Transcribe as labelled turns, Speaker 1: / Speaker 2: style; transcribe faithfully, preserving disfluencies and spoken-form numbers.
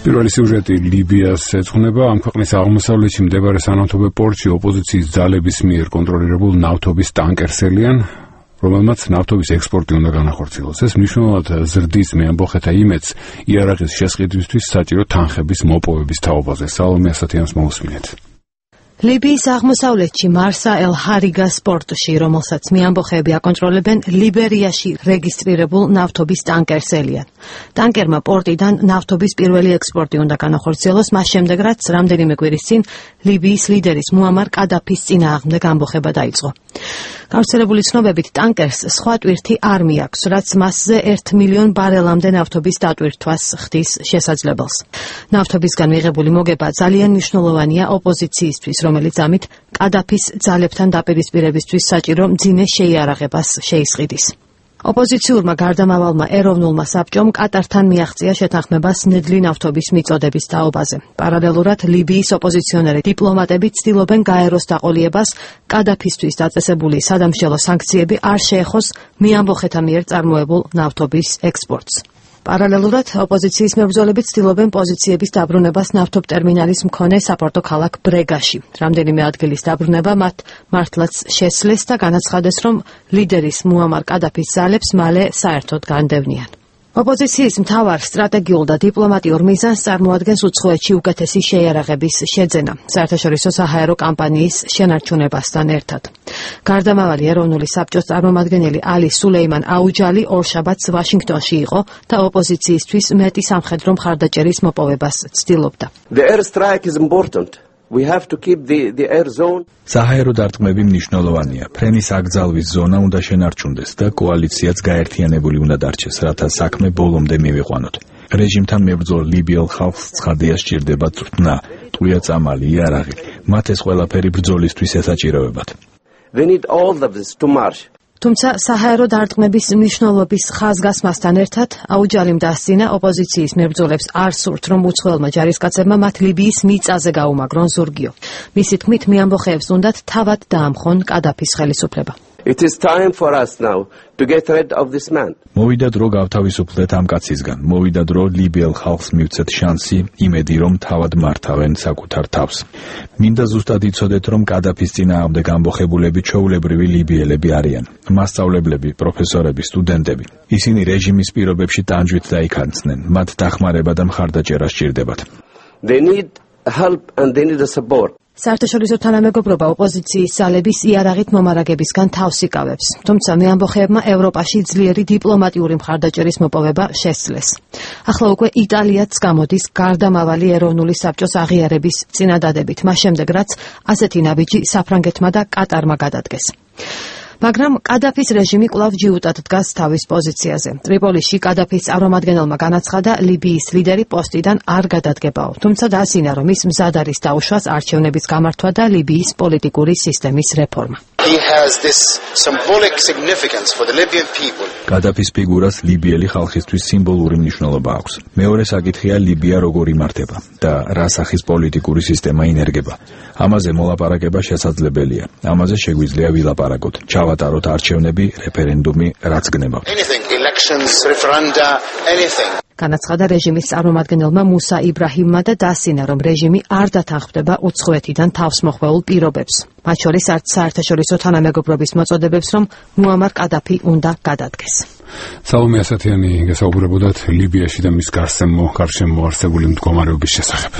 Speaker 1: პირველი სიუჟეტი ლიბიას ეძღვნება. ამ ქვეყნის აღმოსავლეთში მდებარე სანავთობო პორტში ოპოზიციის ძალების მიერ კონტროლირებულ ნავთობის ტანკერს ელიან, რომელმაც ნავთობის ექსპორტი უნდა განახორციელოს. ეს მნიშვნელოვნად ზრდის მეამბოხეთა იმედს იარაღის შესყიდვისთვის საჭირო თანხების მოპოვების თაობაზე. სალომე ასათიანს მოусმინეთ.
Speaker 2: ლიბიის აღმოსავლეთში მარსა ელ ჰარიგას პორტში, რომელსაც მეამბოხეები აკონტროლებენ, ლიბერიაში რეგისტრირებულ ნავთობის ტანკერს ელიან. ტანკერმა პორტიდან ნავთობის პირველი ექსპორტი უნდა განახორციელოს, მას შემდეგ რაც რამდენიმე კვირის წინ ლიბიის ლიდერის მუამარ კადაფის წინააღმდეგ ამბოხება დაიწყო. გავრცელებული ცნობებით ტანკერს სხვა ტვირთი არ მიაქვს, რაც მასზე ერთ მილიონ ბარელამდე ნავთობის დატვირთვას ხდის შესაძლებელს. ნავთობისგან მიღებული მოგება ძალიან მნიშვნელოვანია ოპოზიციისთვის, რომელიც ამით კადაფის ძალებთან დაპირისპირებისთვის საჭირო მძიმე შეიარაღებას შეისყიდის. ოპოზიციურმა გარდამავალმა ეროვნულმა საბჭომ კატართან მიაღწია შეთანხმებას ნედლი ნავთობის მიწოდების თაობაზე. პარალელურად ლიბიის ოპოზიციონერი დიპლომატები ცდილობენ გაეროს დაყოლიებას კადაფისთვის დაწესებული სადამსჯელო სანქციები არ შეეხოს მეამბოხეთა მიერ წარმოებულ ნავთობის ექსპორტს. პარალელურად ოპოზიციის მებრძოლები ცდილობენ პოზიციების დაბრუნებას ნავთობტერმინალის მქონე საპორტო ქალაქ ბრეგაში. რამდენიმე ადგილის დაბრუნება მათ მართლაც შესძლეს და განაცხადეს, რომ ლიდერის მუამარ კადაფის ძალებს მალე საერთოდ განდევნიან. ოპოზიციის მთავარ სტრატეგიულ და დიპლომატიურ მიზანს წარმოადგენს უცხოეთში უკეთესი შეიარაღების შეძენა, საერთაშორისო საჰაერო კამპანიის შენარჩუნებასთან ერთად. გარდამავალი ეროვნული საბჭოს წარმომადგენელი ალი სულეიმან აუჯალი ორშაბათს ვაშინგტონში იყო და ოპოზიციისთვის მეტი სამხედრო მხარდაჭერის მოპოვებას ცდილობდა.
Speaker 3: The airstrike is important. We have to keep the the air zone.
Speaker 4: საჰაერო დარტყმები მნიშვნელოვანია. ფრენის აკრძალვის ზონა უნდა შენარჩუნდეს და კოალიციაც გაერთიანებული უნდა დარჩეს, რათა საქმე ბოლომდე მივიყვანოთ. რეჟიმთან მებრძოლ ლიბიელ ხალხს ცხადია სჭირდება წვრთნა, ტყვია წამალი, იარაღი. მათ ეს ყველაფერი ბრძოლისთვის ესაჭიროებათ.
Speaker 3: They need all of this to march.
Speaker 2: თუმცა საჰაერო დარტყმების მნიშვნელობის ხაზგასმასთან ერთად აუჯალიმ დასცინა ოპოზიციის მებრძოლებს არ სურთ, რომ უცხოელმა ჯარისკაცებმა მათ ლიბიის მიწაზე გაუმაგრონ ზურგიო. მისი თქმით, მეამბოხეებს უნდათ თავად დაამხონ კადაფის ხელისუფლება.
Speaker 3: It is time for us now to get rid of this man.
Speaker 4: მოვიდა დრო გავთავისუფლდეთ ამ კაცისგან. მოვიდა დრო ლიბიელ ხალხს მივცეთ შანსი, იმედი რომ თავად მართავენ საკუთარ თავს. მინდა ზუსტად იცოდეთ, რომ კადაფის წინააღმდეგ ამბოხებულები ჩვეულებრივი ლიბიელები არიან. მასწავლებლები, პროფესორები, სტუდენტები. ისინი რეჟიმის პირობებში ტანჯვით დაიქანცნენ. მათ დახმარება და მხარდაჭერა სჭირდებათ.
Speaker 3: They need help and they need a support.
Speaker 2: საერთაშორისო თანამეგობრობა ოპოზიციის ძალების იარაღით მომარაგებისგან თავს იკავებს, თუმცა მეამბოხეებმა ევროპაში ძლიერი დიპლომატიური მხარდაჭერის მოპოვება შესძლეს. ახლა უკვე იტალიაც გამოდის გარდამავალი ეროვნული საბჭოს აღიარების წინადადებით, მას შემდეგ რაც ასეთი ნაბიჯი საფრანგეთმა და კატარმა გადადგეს. მაგრამ კადაფის რეჟიმი კვლავ ჯიუტად დგას თავის პოზიციაზე. ტრიპოლიში კადაფის წარმომადგენელმა განაცხადა, ლიბიის ლიდერი პოსტიდან არ გადადგებაო, თუმცა დაასინა, რომ ის მზად არის დაუშვას არჩევნების გამართვა და ლიბიის პოლიტიკური სისტემის რეფორმა.
Speaker 4: კადაფის ფიგურას ლიბიელი ხალხისთვის სიმბოლური მნიშვნელობა აქვს. მეორე საკითხია ლიბია როგორ იმართება და რა სახის პოლიტიკური სისტემა ინერგება. ამაზე მოლაპარაკება შესაძლებელია. ამაზე შეგვიძლია ვილაპარაკოთ. ჩავატაროთ არჩევნები, რეფერენდუმი, რაც გნება.
Speaker 2: განაცხადა რეჟიმის წარმომადგენელმა მუსა იბრაჰიმმა და დასინა, რომ რეჟიმი არ დათანხმდება უცხოეთიდან თავს მოხვეულ პირობებს. მათ შორის არც საერთაშორისო თანამეგობრობის მოწოდებებს, რომ მუამარ კადაფი უნდა გადადგეს.
Speaker 1: სალომე ასათიანი გასაუბრებოდათ ლიბიაში და მის გარშემო არსებული მდგომარეობის შესახებ.